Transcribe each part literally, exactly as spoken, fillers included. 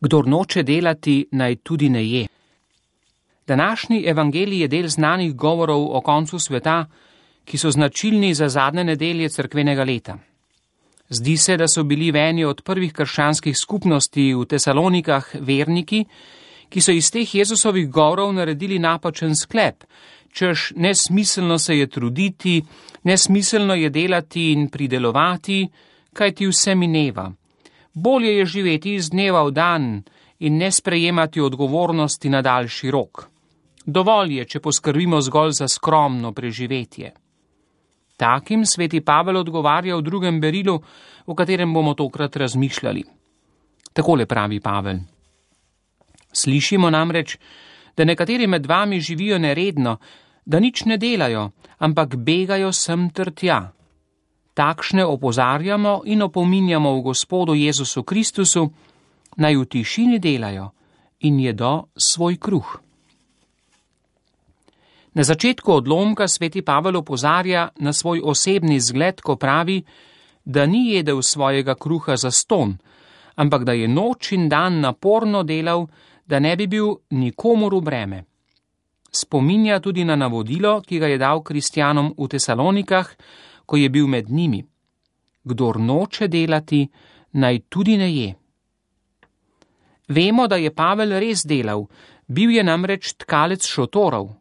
Kdor noče delati, naj tudi ne je. Današnji evangelij je del znanih govorov o koncu sveta, ki so značilni za zadnje nedelje cerkvenega leta. Zdi se, da so bili v eni od prvih krščanskih skupnosti v Tesalonikah verniki, ki so iz teh Jezusovih govorov naredili napačen sklep, češ nesmiselno se je truditi, nesmiselno je delati in pridelovati, kaj ti vse mineva. Bolje je živeti iz dneva v dan in ne sprejemati odgovornosti na daljši rok. Dovolj je, če poskrbimo zgolj za skromno preživetje. Takim sveti Pavel odgovarja v drugem berilu, o katerem bomo tokrat razmišljali. Takole pravi Pavel. Slišimo namreč, da nekateri med vami živijo neredno, da nič ne delajo, ampak begajo sem ter tja. Takšne opozarjamo in opominjamo v Gospodu Jezusu Kristusu, naj v tišini delajo in jedo svoj kruh. Na začetku odlomka sveti Pavel opozarja na svoj osebni zgled, ko pravi, da ni jedel svojega kruha za ston, ampak da je noč in dan naporno delal, da ne bi bil nikomur v breme. Spominja tudi na navodilo, ki ga je dal kristjanom v Tesalonikah, ko je bil med njimi. Kdor noče delati, naj tudi ne je. Vemo, da je Pavel res delal, bil je namreč tkalec šotorov.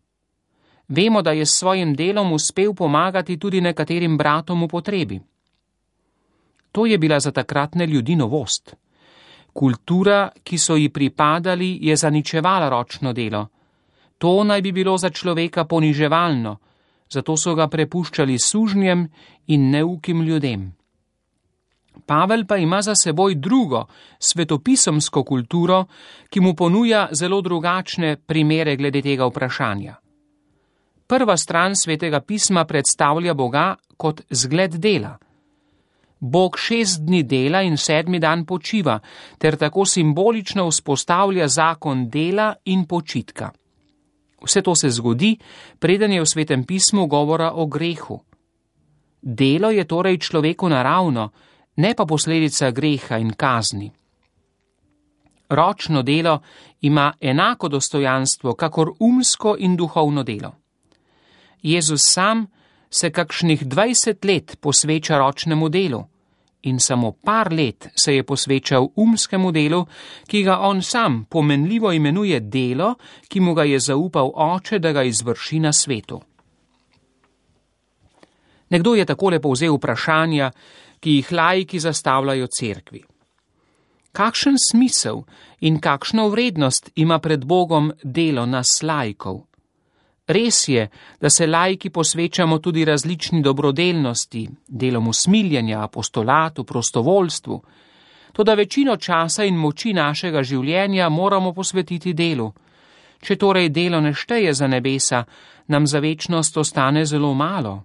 Vemo, da je s svojim delom uspel pomagati tudi nekaterim bratom v potrebi. To je bila za takratne ljudi novost. Kultura, ki so ji pripadali, je zaničevala ročno delo. To naj bi bilo za človeka poniževalno, zato so ga prepuščali sužnjem in neukim ljudem. Pavel pa ima za seboj drugo, svetopisemsko kulturo, ki mu ponuja zelo drugačne primere glede tega vprašanja. Prva stran svetega pisma predstavlja Boga kot zgled dela. Bog šest dni dela in sedmi dan počiva, ter tako simbolično vzpostavlja zakon dela in počitka. Vse to se zgodi, preden je v svetem pismu govora o grehu. Delo je torej človeku naravno, ne pa posledica greha in kazni. Ročno delo ima enako dostojanstvo, kakor umsko in duhovno delo. Jezus sam se kakšnih dvajset let posveča ročnemu delu in samo par let se je posvečal umskemu delu, ki ga on sam pomenljivo imenuje delo, ki mu ga je zaupal Oče, da ga izvrši na svetu. Nekdo je takole povzel vprašanja, ki jih laiki zastavljajo cerkvi. Kakšen smisel in kakšno vrednost ima pred Bogom delo nas laikov? Res je, da se laiki posvečamo tudi različni dobrodelnosti, delom usmiljenja, apostolatu, prostovoljstvu, toda večino časa in moči našega življenja moramo posvetiti delu. Če torej delo ne šteje za nebesa, nam za večnost ostane zelo malo.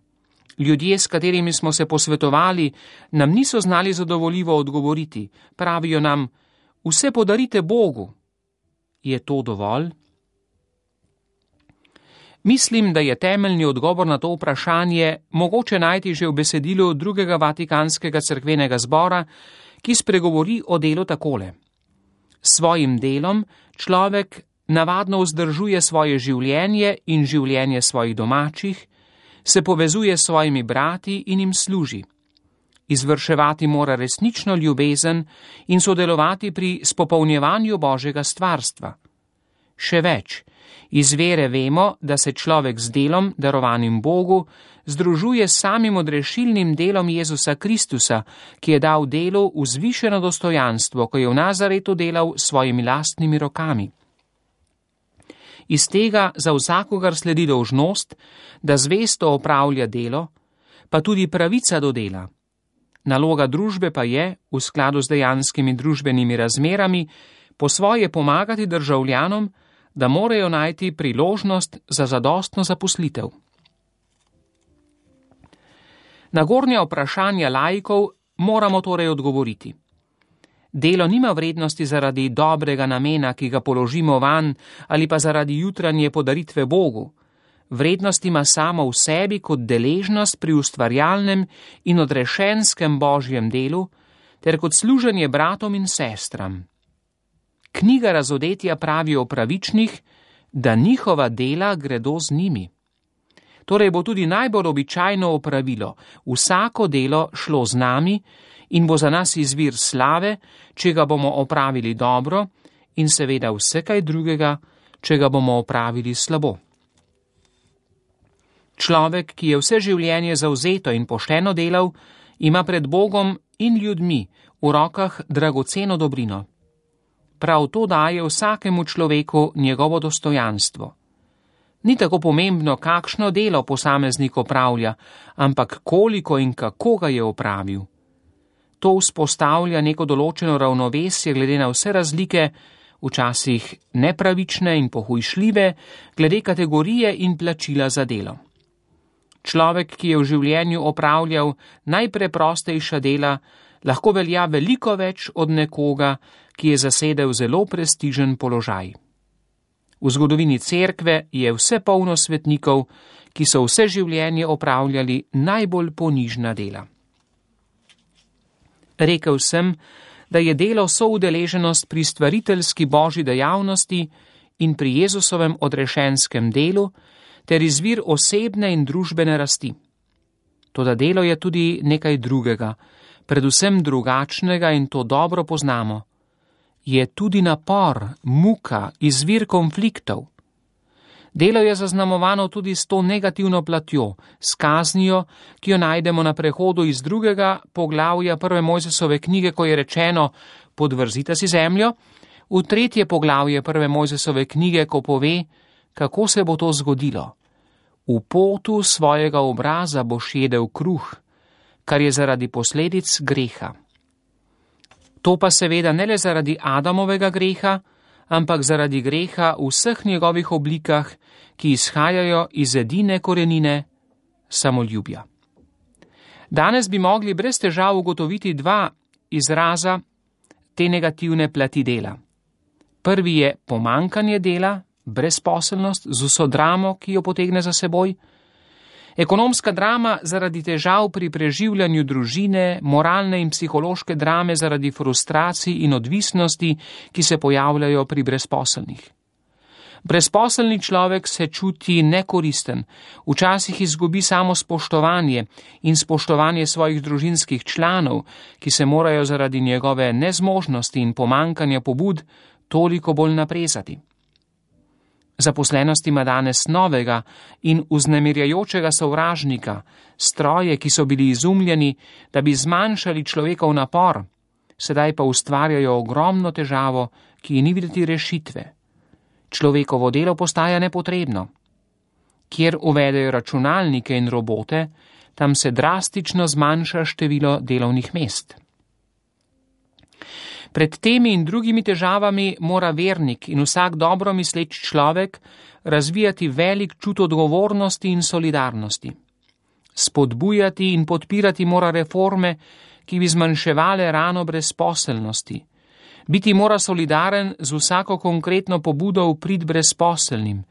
Ljudje, s katerimi smo se posvetovali, nam niso znali zadovoljivo odgovoriti. Pravijo nam, vse podarite Bogu. Je to dovolj? Mislim, da je temeljni odgovor na to vprašanje mogoče najti že v besedilu drugega Vatikanskega cerkvenega zbora, ki spregovori o delu takole. S svojim delom človek navadno vzdržuje svoje življenje in življenje svojih domačih, se povezuje s svojimi brati in jim služi. Izvrševati mora resnično ljubezen in sodelovati pri spopolnjevanju Božjega stvarstva. Še več, iz vere vemo, da se človek z delom, darovanim Bogu, združuje s samim odrešilnim delom Jezusa Kristusa, ki je dal delu vzvišeno dostojanstvo, ko je v Nazaretu delal s svojimi lastnimi rokami. Iz tega za vsakogar sledi dolžnost, da zvesto opravlja delo, pa tudi pravica do dela. Naloga družbe pa je, v skladu z dejanskimi družbenimi razmerami, po svoje pomagati državljanom, da morajo najti priložnost za zadostno zaposlitev. Na gornja vprašanja laikov moramo torej odgovoriti. Delo nima vrednosti zaradi dobrega namena, ki ga položimo vanj, ali pa zaradi jutranje podaritve Bogu. Vrednost ima samo v sebi kot deležnost pri ustvarjalnem in odrešenskem Božjem delu, ter kot služenje bratom in sestram. knjiga Razodetja pravi o pravičnih, da njihova dela gredo z njimi. Torej bo tudi najbolj običajno opravilo vsako delo šlo z nami in bo za nas izvir slave, če ga bomo opravili dobro, in seveda vse kaj drugega, če ga bomo opravili slabo. Človek, ki je vse življenje zavzeto in pošteno delal, ima pred Bogom in ljudmi v rokah dragoceno dobrino. Prav to daje vsakemu človeku njegovo dostojanstvo. Ni tako pomembno, kakšno delo posameznik opravlja, ampak koliko in kako ga je opravil. To vzpostavlja neko določeno ravnovesje glede na vse razlike, včasih nepravične in pohujšljive, glede kategorije in plačila za delo. Človek, ki je v življenju opravljal najpreprostejša dela, lahko velja veliko več od nekoga, ki je zasedel zelo prestižen položaj. V zgodovini cerkve je vse polno svetnikov, ki so vse življenje opravljali najbolj ponižna dela. Rekel sem, da je delo soudeleženost pri stvariteljski božji dejavnosti in pri Jezusovem odrešenskem delu ter izvir osebne in družbene rasti. Toda delo je tudi nekaj drugega, predvsem drugačnega, in to dobro poznamo. Je tudi napor, muka, izvir konfliktov. Delo je zaznamovano tudi s to negativno platjo, s kaznijo, ki jo najdemo na prehodu iz drugega poglavja prve Mojzesove knjige, ko je rečeno: podvrzite si zemljo, v tretje poglavje prve Mojzesove knjige, ko pove, kako se bo to zgodilo. V potu svojega obraza boš jedel kruh, kar je zaradi posledic greha. To pa seveda ne le zaradi Adamovega greha, ampak zaradi greha v vseh njegovih oblikah, ki izhajajo iz edine korenine samoljubja. Danes bi mogli brez težav ugotoviti dva izraza te negativne plati dela. Prvi je pomankanje dela, brezposelnost z vso dramo, ki jo potegne za seboj, ekonomska drama zaradi težav pri preživljanju družine, moralne in psihološke drame zaradi frustracij in odvisnosti, ki se pojavljajo pri brezposelnih. Brezposelni človek se čuti nekoristen, včasih izgubi samo spoštovanje in spoštovanje svojih družinskih članov, ki se morajo zaradi njegove nezmožnosti in pomankanja pobud toliko bolj naprezati. Zaposlenost ima danes novega in vznemirjajočega sovražnika, stroje, ki so bili izumljeni, da bi zmanjšali človekov napor, sedaj pa ustvarjajo ogromno težavo, ki ni videti rešitve. Človekovo delo postaja nepotrebno. Kjer uvedejo računalnike in robote, tam se drastično zmanjša število delovnih mest. Pred temi in drugimi težavami mora vernik in vsak dobro misleč človek razvijati velik čut odgovornosti in solidarnosti. Spodbujati in podpirati mora reforme, ki bi zmanjševale rano brezposelnosti. Biti mora solidaren z vsako konkretno pobudo v prid brezposelnim,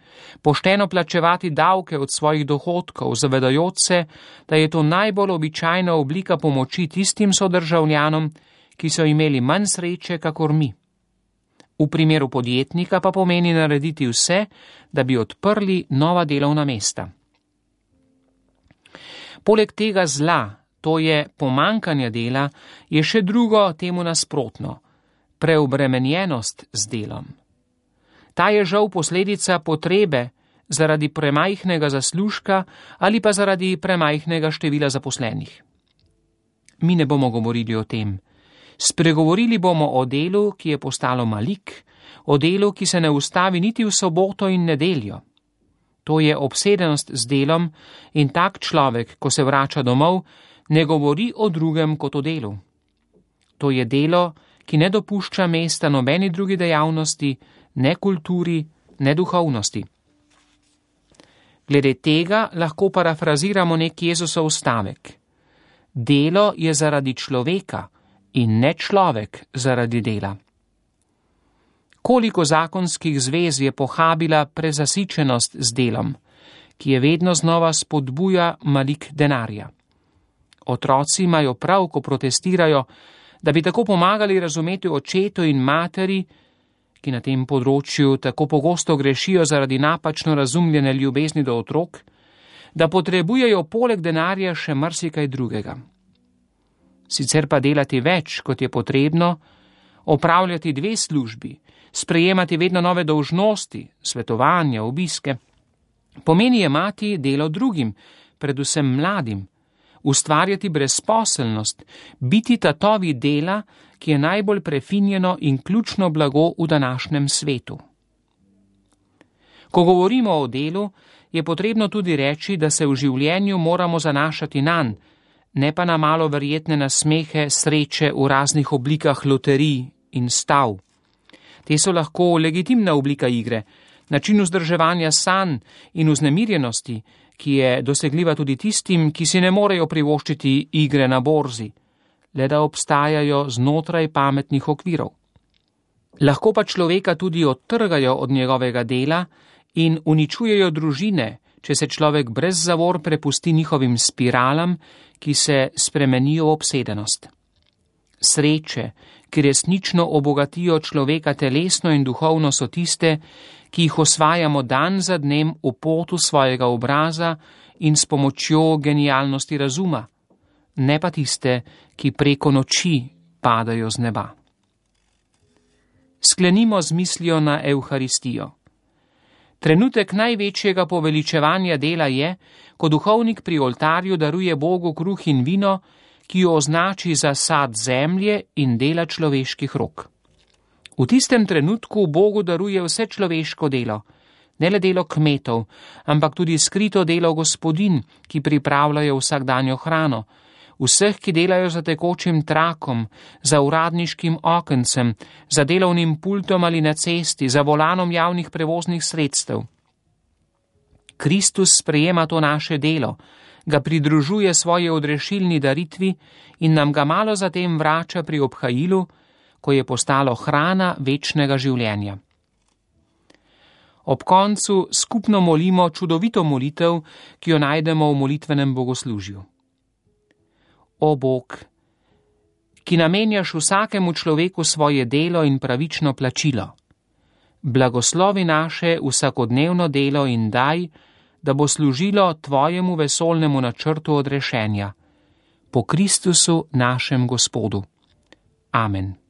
pošteno plačevati davke od svojih dohodkov, zavedajoč se, da je to najbolj običajna oblika pomoči tistim sodržavljanom, ki so imeli manj sreče kakor mi. V primeru podjetnika pa pomeni narediti vse, da bi odprli nova delovna mesta. Poleg tega zla, to je pomankanja dela, je še drugo temu nasprotno, preobremenjenost z delom. Ta je žal posledica potrebe zaradi premajhnega zaslužka ali pa zaradi premajhnega števila zaposlenih. Mi ne bomo govorili o tem. Spregovorili bomo o delu, ki je postalo malik, o delu, ki se ne ustavi niti v soboto in nedeljo. To je obsedenost z delom in tak človek, ko se vrača domov, ne govori o drugem kot o delu. To je delo, ki ne dopušča mesta nobeni drugi dejavnosti, ne kulturi, ne duhovnosti. Glede tega lahko parafraziramo nek Jezusov stavek. Delo je zaradi človeka in ne človek zaradi dela. Koliko zakonskih zvez je pohabila prezasičenost z delom, ki je vedno znova spodbuja malik denarja. Otroci imajo prav, ko protestirajo, da bi tako pomagali razumeti očetu in materi, ki na tem področju tako pogosto grešijo zaradi napačno razumljene ljubezni do otrok, da potrebujejo poleg denarja še marsikaj drugega. Sicer pa delati več, kot je potrebno, opravljati dve službi, sprejemati vedno nove dolžnosti, svetovanja, obiske, pomeni jemati delo drugim, predvsem mladim, ustvarjati brezposelnost, biti tatovi dela, ki je najbolj prefinjeno in ključno blago v današnjem svetu. Ko govorimo o delu, je potrebno tudi reči, da se v življenju moramo zanašati nanj, ne pa na malo verjetne nasmehe sreče v raznih oblikah loterij in stav. Te so lahko legitimna oblika igre, način vzdrževanja sanj in vznemirjenosti, ki je dosegljiva tudi tistim, ki si ne morejo privoščiti igre na borzi, le da obstajajo znotraj pametnih okvirov. Lahko pa človeka tudi odtrgajo od njegovega dela in uničujejo družine, če se človek brez zavor prepusti njihovim spiralam, ki se spremenijo v obsedenost. Sreče, ki resnično obogatijo človeka telesno in duhovno, so tiste, ki jih osvajamo dan za dnem v potu svojega obraza in s pomočjo genialnosti razuma, ne pa tiste, ki preko noči padajo z neba. Sklenimo z mislijo na Evharistijo. Trenutek največjega poveličevanja dela je, ko duhovnik pri oltarju daruje Bogu kruh in vino, ki jo označi za sad zemlje in dela človeških rok. V tistem trenutku Bogu daruje vse človeško delo, ne le delo kmetov, ampak tudi skrito delo gospodinj, ki pripravljajo vsakdanjo hrano, vseh, ki delajo za tekočim trakom, za uradniškim okencem, za delovnim pultom ali na cesti, za volanom javnih prevoznih sredstev. Kristus sprejema to naše delo, ga pridružuje svoje odrešilni daritvi in nam ga malo zatem vrača pri obhajilu, ko je postalo hrana večnega življenja. Ob koncu skupno molimo čudovito molitev, ki jo najdemo v molitvenem bogoslužju. O Bog, ki namenjaš vsakemu človeku svoje delo in pravično plačilo, blagoslovi naše vsakodnevno delo in daj, da bo služilo tvojemu vesolnemu načrtu odrešenja. Po Kristusu našem Gospodu. Amen.